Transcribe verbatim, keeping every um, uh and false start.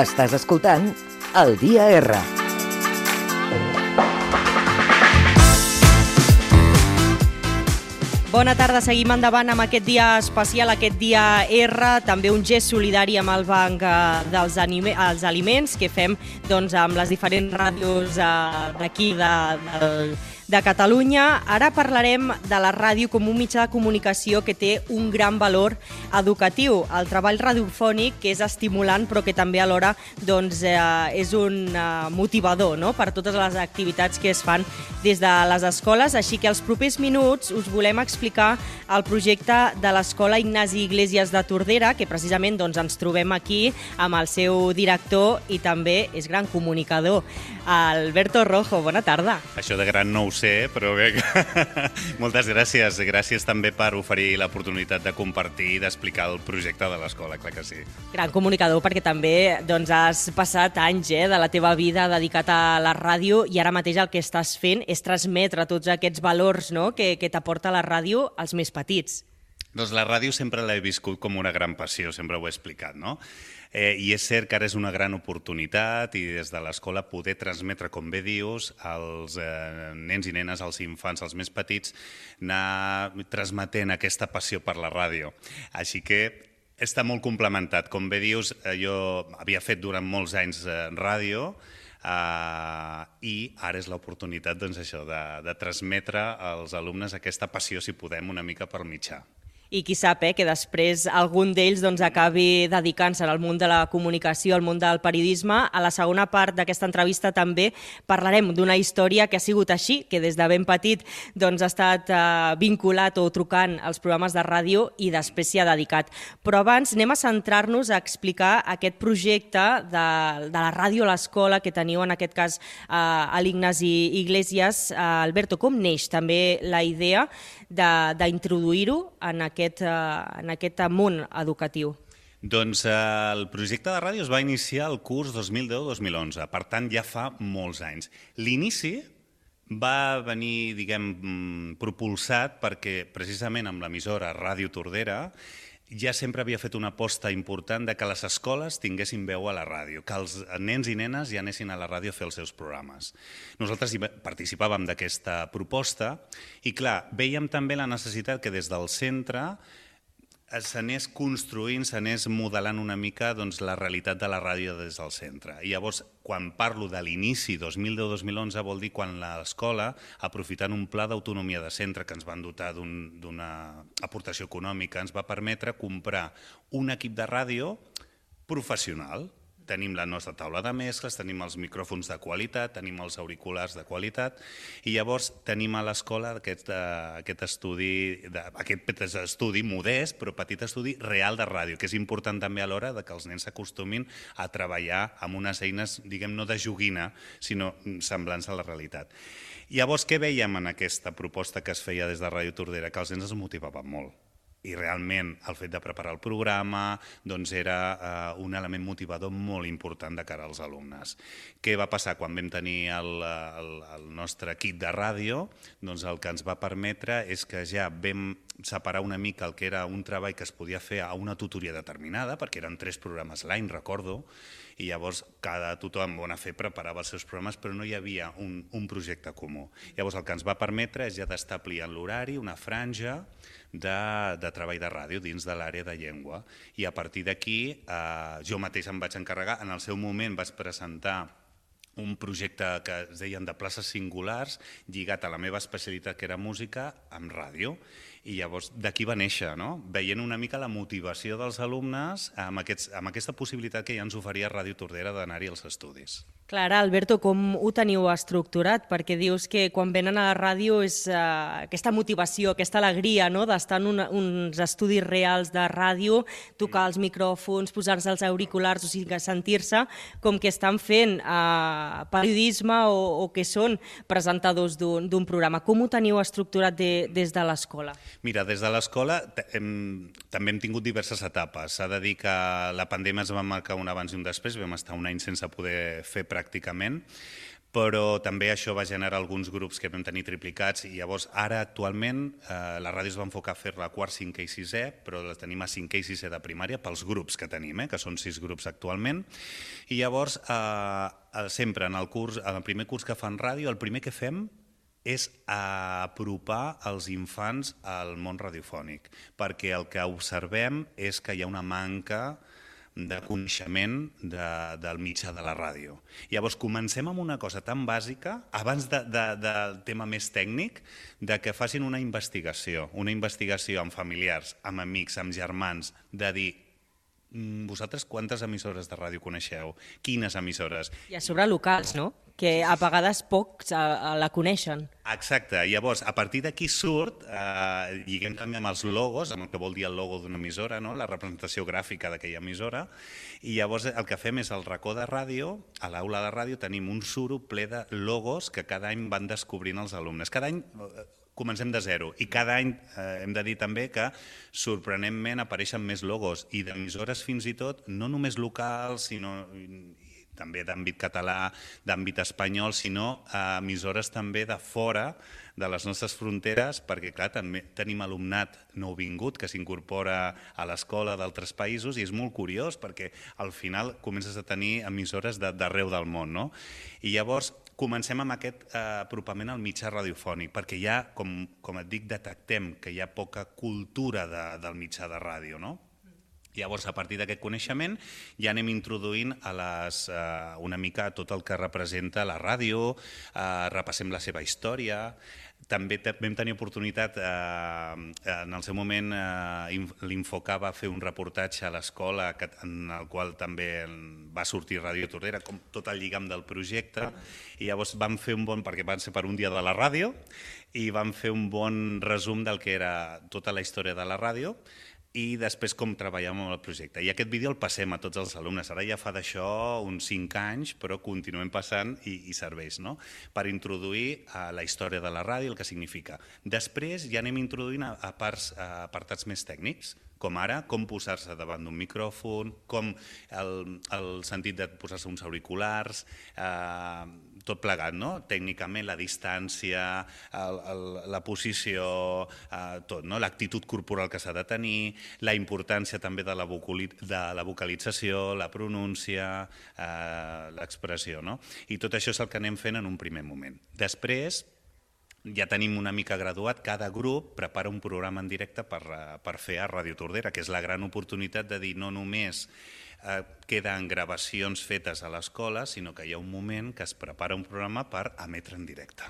Estàs escoltant El Dia R. Bona tarda, seguim endavant amb aquest dia especial, aquest dia R, també un gest solidari amb el Banc dels els Aliments que fem doncs, amb les diferents ràdios d'aquí, de, de, de Catalunya. Ara parlarem de la ràdio com un mitjà de comunicació que té un gran valor educatiu. El treball radiofònic, que és estimulant, però que també alhora doncs, eh, és un eh, motivador, no?, per totes les activitats que es fan des de les escoles. Així que els propers minuts us volem explicar explicar el projecte de l'Escola Ignasi Iglesias de Tordera, que precisament doncs, ens trobem aquí amb el seu director i també és gran comunicador, Alberto Rojo. Bona tarda. Això de gran no ho sé, però bé, moltes gràcies. Gràcies també per oferir l'oportunitat de compartir i d'explicar el projecte de l'escola, clar que sí. Gran comunicador perquè també doncs, has passat anys eh, de la teva vida dedicat a la ràdio i ara mateix el que estàs fent és transmetre tots aquests valors, no?, que, que t'aporta la ràdio als més petits. Doncs la ràdio sempre l'he viscut com una gran passió, sempre ho he explicat, no? Eh, I és cert que ara és una gran oportunitat i des de l'escola poder transmetre, com bé dius, als eh, nens i nenes, als infants, als més petits, anar transmetent aquesta passió per la ràdio. Així que està molt complementat. Com bé dius, jo havia fet durant molts anys eh, ràdio, Uh, i ara és l'oportunitat doncs, això, de, de transmetre als alumnes aquesta passió, si podem, una mica per mitjà. I qui sap eh, que després algun d'ells doncs, acabi dedicant-se al món de la comunicació, al món del periodisme. A la segona part d'aquesta entrevista també parlarem d'una història que ha sigut així, que des de ben petit doncs, ha estat eh, vinculat o trucant als programes de ràdio i després s'hi ha dedicat. Però abans anem a centrar-nos a explicar aquest projecte de, de la ràdio a l'escola que teniu en aquest cas eh, a l'Ignasi Iglesias. Eh, Alberto, com neix també la idea d'introduir-ho en aquest, en aquest món educatiu? Doncs eh, el projecte de ràdio es va iniciar el curs dos mil deu dos mil onze, per tant ja fa molts anys. L'inici va venir, diguem, propulsat perquè precisament amb l'emissora Ràdio Tordera ja sempre havia fet una aposta important de que les escoles tinguessin veu a la ràdio, que els nens i nenes ja anessin a la ràdio a fer els seus programes. Nosaltres participàvem d'aquesta proposta i, clar, vèiem també la necessitat que des del centre s'anés construint, s'anés modelant una mica doncs, la realitat de la ràdio des del centre. I llavors, quan parlo de l'inici dos mil deu dos mil onze, vol dir quan l'escola, aprofitant un pla d'autonomia de centre que ens van dotar d'una aportació econòmica, ens va permetre comprar un equip de ràdio professional. Tenim la nostra taula de mescles, tenim els micròfons de qualitat, tenim els auriculars de qualitat i llavors tenim a l'escola aquest, aquest, estudi, aquest estudi modest, però petit estudi real de ràdio, que és important també a l'hora que els nens s'acostumin a treballar amb unes eines, diguem, no de joguina, sinó semblants a la realitat. Llavors, què veiem en aquesta proposta que es feia des de Ràdio Tordera? Que els nens es motivaven molt. I realment el fet de preparar el programa doncs era eh, un element motivador molt important de cara als alumnes. Què va passar quan vam tenir el, el, el nostre equip de ràdio? Doncs el que ens va permetre és que ja vam separar una mica el que era un treball que es podia fer a una tutoria determinada, perquè eren tres programes l'any, recordo, i llavors cada tothom, bona fe, preparava els seus programes, però no hi havia un, un projecte comú. Llavors el que ens va permetre és ja d'establir en l'horari una franja de, de treball de ràdio dins de l'àrea de llengua. I a partir d'aquí eh, jo mateix em vaig encarregar, en el seu moment vaig presentar un projecte que es deien de places singulars lligat a la meva especialitat, que era música, amb ràdio. I llavors d'aquí va néixer, no? Veient una mica la motivació dels alumnes amb, aquests, amb aquesta possibilitat que ja ens oferia Ràdio Tordera d'anar-hi als estudis. Clara, Alberto, com ho teniu estructurat? Perquè dius que quan venen a la ràdio és uh, aquesta motivació, aquesta alegria, no?, d'estar en una, uns estudis reals de ràdio, tocar els micròfons, posar-se els auriculars, o sigui, sentir-se com que estan fent uh, periodisme o, o que són presentadors d'un programa. Com ho teniu estructurat de, des de l'escola? Mira, des de l'escola hem, també hem tingut diverses etapes. S'ha de dir que la pandèmia ens va marcar un abans i un després, vam estar un any sense poder fer pràcticament, però també això va generar alguns grups que vam tenir triplicats i llavors ara actualment eh, la ràdio es va enfocar a fer-la a quart, cinquè i sisè, però la tenim a cinquè i sisè de primària pels grups que tenim, eh, que són sis grups actualment. I llavors eh, sempre en el, curs, en el primer curs que fan ràdio, el primer que fem és apropar els infants al món radiofònic, perquè el que observem és que hi ha una manca de coneixement de, del mitjà de la ràdio. Llavors comencem amb una cosa tan bàsica, abans de, de, del tema més tècnic, de que facin una investigació, una investigació amb familiars, amb amics, amb germans, de dir vosaltres quantes emissores de ràdio coneixeu? Quines emissores? I a sobre locals, no? Que a vegades pocs la coneixen. Exacte. Llavors, a partir d'aquí surt, eh, lliguem també amb els logos, amb el que vol dir el logo d'una emissora, no? La representació gràfica d'aquella emissora, i llavors el que fem és el racó de ràdio, a l'aula de ràdio tenim un suro ple de logos que cada any van descobrint els alumnes. Cada any comencem de zero i cada any eh, hem de dir també que sorprenentment apareixen més logos i d'emissores fins i tot, no només locals, sinó també d'àmbit català, d'àmbit espanyol, sinó eh, emissores també de fora de les nostres fronteres, perquè clar, també tenim alumnat nouvingut que s'incorpora a l'escola d'altres països i és molt curiós perquè al final comences a tenir emissores d'arreu del món, no? I llavors comencem amb aquest eh, apropament al mitjà radiofònic, perquè ja, com, com et dic, detectem que hi ha poca cultura de, del mitjà de ràdio, no? Llavors, a partir d'aquest coneixement, ja anem introduint a les, eh, una mica tot el que representa la ràdio, eh, repassem la seva història. També vam tenir oportunitat, eh, en el seu moment eh, l'Infoca va fer un reportatge a l'escola en el qual també va sortir Ràdio Tordera, com tot el lligam del projecte, i llavors vam fer un bon, perquè van ser per un dia de la ràdio, i vam fer un bon resum del que era tota la història de la ràdio, i després com treballem amb el projecte. I aquest vídeo el passem a tots els alumnes. Ara ja fa d'això uns cinc anys, però continuem passant i, i serveix, no? Per introduir a la història de la ràdio, el que significa. Després ja anem introduint a, a, parts, a apartats més tècnics, com ara com posar-se davant d'un micròfon, com el, el sentit de posar-se uns auriculars, eh, tot plegat, no? Tècnicament, la distància, el, el, la posició, eh, tot, no? L'actitud corporal que s'ha de tenir, la importància també de la, vocali de la vocalització, la pronúncia, eh, l'expressió, no? I tot això és el que anem fent en un primer moment. Després, ja tenim una mica graduat, cada grup prepara un programa en directe per, per fer a Ràdio Tordera, que és la gran oportunitat de dir no només eh, queden gravacions fetes a l'escola, sinó que hi ha un moment que es prepara un programa per emetre en directe.